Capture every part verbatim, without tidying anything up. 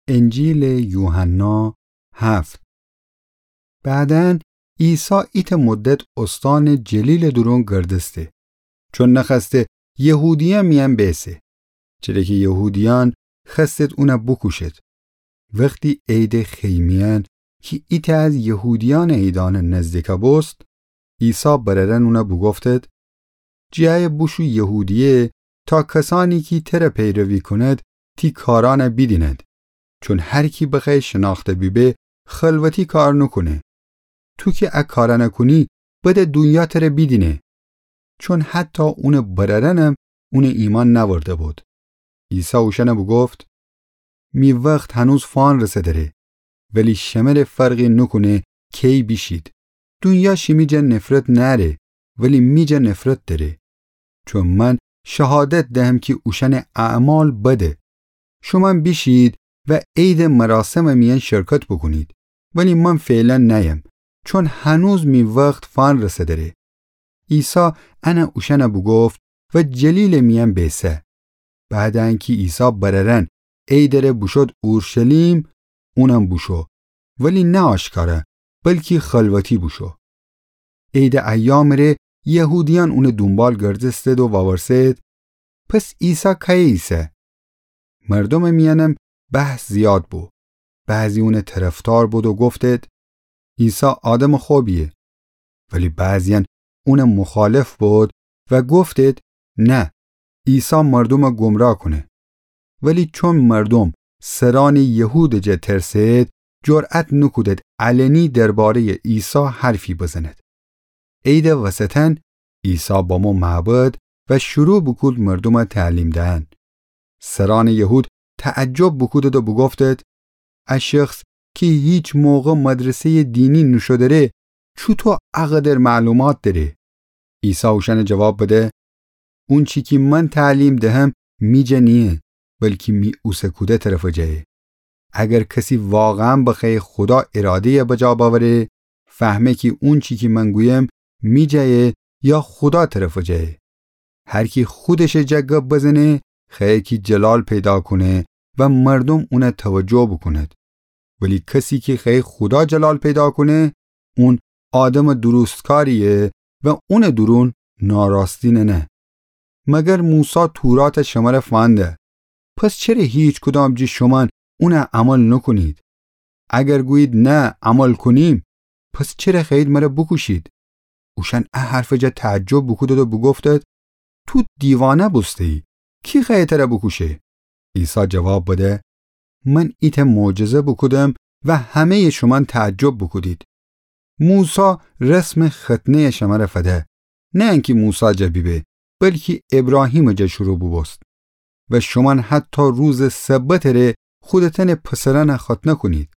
انجیلٚ یوحنا هفت. بعداً عیسی ایتأ مدت اوستانٚ جلیلٚ دورون گردسته، چون نخوأسته یهودیأن میأن بیسه، چره کی یهودیأن خوأستید اونَ بوکوشید. وختی عیدٚ خیمه‌یأن کی ایتأ از یهودیأنٚ عیدأنٚ نزدیکا بوست، عیسی برأرأن اونَ بوگفتید: جیأیه بوشو یهودیه تا کسأنی کی تره پیروی کونید تی کارأنَ بیدینید. چون هر کی بخوأیه شنأخته بیبه، خلوتی کار نوکونه. تو کی ا کارأنَ کونی، بده دونیا تره بیدینه. چون حتی اونٚ برأرأنم اونَ ایمأن نأورده بود. عیسی اوشأنَ بوگفت: می وخت هنوز فانرسه دره، ولی شمره فرقی نوکونه کی بیشید. دونیا شیمی جا نفرت نأره، ولی می جا نفرت دأره. چون من شهادت دهم کی اوشأنٚ اعمال بده. شومأن بیشید و عیدٚ مراسمٚ میأن شرکت بوکونید، ولی من فعلاً نأیم، چون هنوز می وخت فانرسه دره. عیسی انَ اوشأنَ بوگفت و جلیلٚ میأن بیسه. بعدٚ انکی عیسی برأرأن عیدٚ ره بوشود اورشلیم، اونم بوشو، ولی نه آشکارا، بلکی خلوتی بوشو. عیدٚ ایامٚ ره یهودیأن اونٚ دونبال گردستید و وورسه‌یید: پس عیسی کأیه ایسه؟ مردومٚ میأنم بحث زیاد بو. بعضی اونٚ طرفدار بودید و گفتید: عیسی آدمٚ خوبییه. ولی بعضییأن اونٚ مخالف بودید و گفتید: نه، عیسی مردومَ گمراه کونه. ولی چون مردوم سرأنٚ یهودٚ جا ترسه‌یید، جرأت نوکودید علنی درباره‌یٚ عیسی حرفی بزنید. عیدٚ وسطأن عیسی بمو معبد و شروع بوکود مردومَ تعلیم دهن. سرأنٚ یهود تعجب بوکودید و بوگفتید: ا شخص کی هیچ موقع مدرسه‌یٚ دینی نوشو دره، چوطو ا قدر معلومات دره؟ عیسی اوشأنَ جواب بده: اونچی کی من تعلیم دهم می جا نییه، بلکی می اوسه کوده طرفٚ جایه. اگر کسی واقعاً بخوأیه خودا اراده‌یَ بجا بأوره، فهمه کی اونچی کی من گویم می جایه یا خودا طرفٚ جایه. هر کی خودشٚ جا گب بزنه، خوأیه کی جلال پیدا کونه و مردوم اونَ توجه بوکونید. ولی کسی کی خوأیه خودا جلال پیدا کونه، اون آدمٚ درستکارییه و اونٚ دورون ناراستی ننه. مگر موسی توراتَ شمره فأنده؟ پس چره هیکدام جٚه شومأن اونَ عمل نوکونید؟ اگر گویید: نه، عمل کونیم، پس چره خوأیید مره بوکوشید؟ اوشأن ا حرفٚ جا تعجب بوکودید و بوگفتید: تو دیوانه بوسته‌یی، کی خوأیه تره بوکوشه؟ عیسی جواب بده: من ایتأ معجزه بوکودم و همه‌یٚ شومأن تعجب بوکودید. موسی رسمٚ ختنه‌یَ شمره فده، نه انکی موسی جا بیبه، بلکی ابراهیمٚ جا شروع بوبوست. و شومأن حتی روزٚ سبتٚ ره خودتأنٚ پسرأنَ ختنه کونید.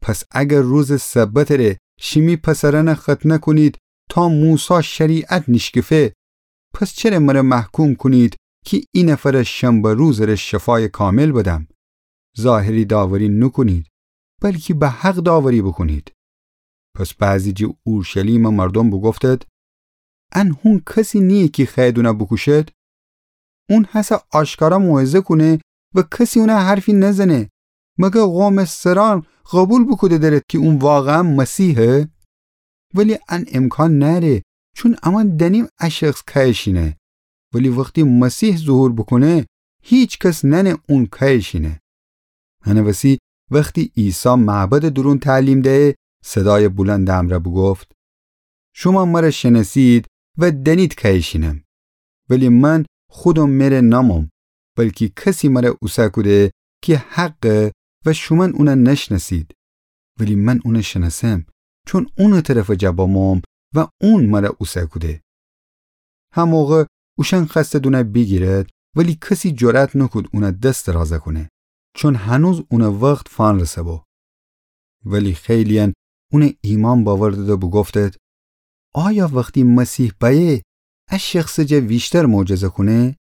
پس اگر روزٚ سبتٚ ره شیمی پسرأنَ ختنه کونید تا موسی شریعت نیشکفه، پس چره مره محکوم کونید کی اینفرَ شنبه روزٚ ره شفایٚ کامل بدم؟ ظاهری داوری نوکونید، بلکی به حق داوری بوکونید. پس بعضی جٚه اورشلیمٚ مردوم بوگفتید: ان هون کسی نییه کی خوأیید اونَ بوکوشید؟ اون هسه آشکارا موعظه کونه و کسی اونَ حرفی نزنه. مگر قومٚ سرأن قوبیل بوکوده درید کی اون واقعاً مسیحه؟ ولی ان امکان نأره، چون امأن دأنیم ا شخص کأیشینه. ولی وختی مسیح ظهور بوکونه، هیکس نأنه اون کأیشینه. هنٚ وسی وختی عیسی معبدٚ دورون تعلیم دهه، صدایٚ بلندٚ امرأ بوگفت: شومأن مره شنأسید و دأنید کأیشینم. ولی من خودم مره نأموم، بلکی کسی مره اوسه کوده کی حقه و شومأن اونَ نشنأسید. ولی من اونَ شنأسم، چون اونٚ طرفٚ جا بموم و اون مره اوسه کوده. هموقع اوشأن خوأستید اونَ بیگیرید، ولی کسی جرأت نوکود اونَ دس درازَ کونه، چون هنوز اونٚ وخت فأنرسه بو. ولی خیلییأن اونَ ایمأن بأوردید و بوگفتید: آیا وختی مسیح بأیه، ا شخصٚ جا ویشتر معجزه کونه؟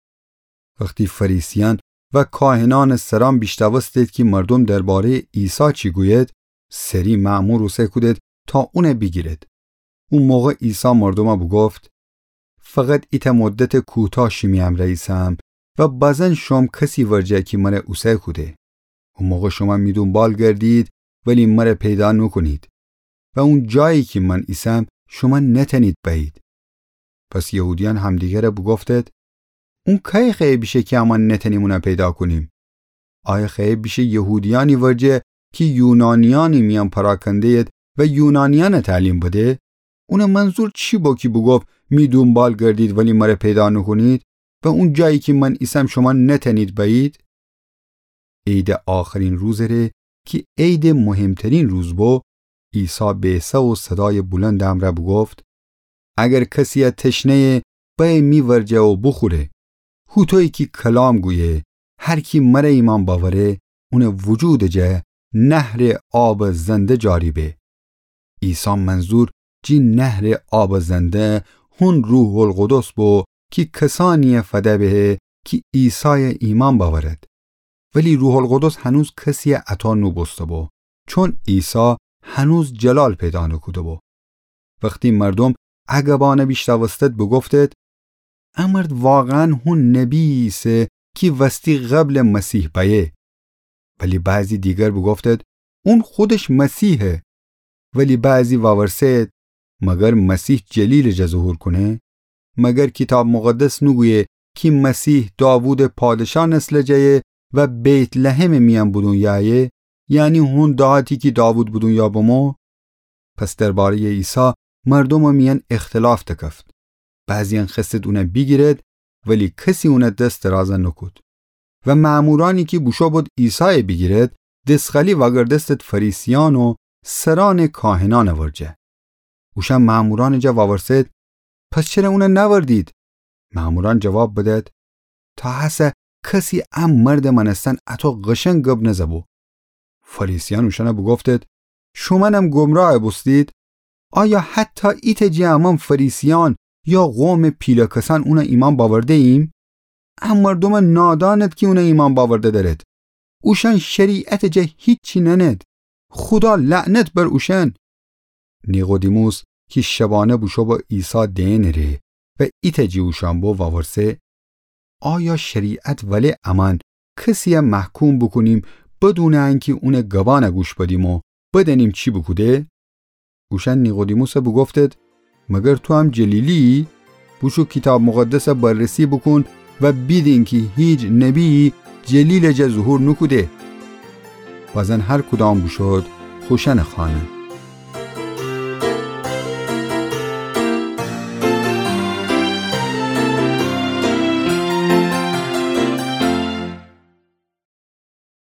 وختی فریسیأن و کاهنأنٚ سرأن بیشنوستید کی مردوم درباره‌یٚ عیسی چی گوید، سری مأمور اوسه کودید تا اونَ بیگیرید. او موقع عیسی مردومَ بوگفت: فقط ایتأ مدتٚ کوتاه شیمی امرأ ایسم و بازن شوم کسی ورجه کی مره اوسه کوده. او موقع شومأن می دونبال گردید، ولی مر پیدا نوکونید. و اون جایی کی من ایسم، شومأن نتأنید بأیید. پس یهودیأن همدیگرَ بوگفتید: اون کأیه خوأیه بیشه کی امأن نتأنیم اونَ پیدا کونیم؟ آیا خوأیه بیشه یهودیأنی ورجه کی یونانیأنی میأن پراکنده‌ید و یونانیأنَ تعلیم بده؟ اونٚ منظور چی بو کی بوگفت: می دونبال گردید ولی مر پیدا نوکونید و اون جایی کی من ایسم شومأن نتأنید بأیید؟ عیدٚ آخرین روزٚ ره کی عیدٚ مهمترین روز بو، عیسی بیسه و صدایٚ بلندٚ امرأ بوگفت: اگر کسی‌یه تشنه‌یه، بأیه می ورجه و بوخوره. هوطویی کی کلام گویه، هر کی مر ایمأن بأوره، اونٚ وجودٚ جا نهرٚ آبٚ زنده جاری به. عیسی منظور جی نهرٚ آبٚ زنده هون روح‌القدس بو کی کسأنی‌یه فده بهه کی عیسایَ ایمأن بأورد. ولی روح‌القدس هنوز کسی‌یه عطا نوبوسته‌بو، چون عیسی هنوز جلال پیدا نوکوده‌بو. وختی مردوم ا گبأنَ بیشنوستید بوگفتید: ا مرد واقعاً هون نبی‌یی ایسه کی وستی قبلٚ مسیح بأیه. ولی بعضی دیگر بوگفتید: اون خودش مسیحه. ولی بعضی وأورسه‌یید: مگر مسیح جلیلٚ جا ظهور کونه؟ مگر کیتاب مقدس نوگویه کی مسیح داوودٚ پادشا نسلٚ جایه و بیت‌لحمٚ میأن بودون یأیه، یعنی هون دهاتی کی داوود بودون یا بمو؟ پس درباره‌یٚ عیسی مردومٚ میأن اختلاف دکفت. بعضی‌یأن خوأستید اونَ بیگیرید، ولی کسی اونَ دس دراز نوکود. و مأمورأنی کی بوشو بود عیسایَ بیگیرید، دسخالی وأگردستید فریسیأن و سرأنٚ کاهنأنٚ ورجه. اوشأن مأمورأنٚ جا وأورسه‌یید: پس چره اونَ نأوردید؟ مأمورأن جواب بدید: تا هسه کسی ا مردٚ مأنستن اطو قشنگ گب نزه‌بو. فریسیأن اوشأنَ بوگفتید: شومأنم گمراه بوستید؟ آیا حتی ایتأ جٚه امأن فریسیأن یا قومٚ پیله کسأن اونَ ایمأن بأورده‌ییم؟ ا مردومٚ نادانید کی اونَ ایمأن بأورده دأرید. اوشأن شریعتٚ جا هیچی نأنید. خودا لعنت بر اوشأن. نیقودیموس کی شبأنه بوشو بو عیسی دئنٚ ره و ایتأ جٚه اوشأن بو وأورسه: آیا شریعت وله امأن کسی‌یَ محکوم بوکونیم بدونٚ انکی اونٚ گبأنَ گوش بدیم و بدأنیم چی بوکوده؟ اوشأن نیقودیموسَ بوگفتید: مگر تو هم جلیلی‌یی؟ بوشو کیتاب مقدسَ بررسی بوکون و بیدین کی هیچ نبی‌یی جلیلٚ جا ظهور نوکوده. بزن هر کدام بوشود خوشأنٚ خانه.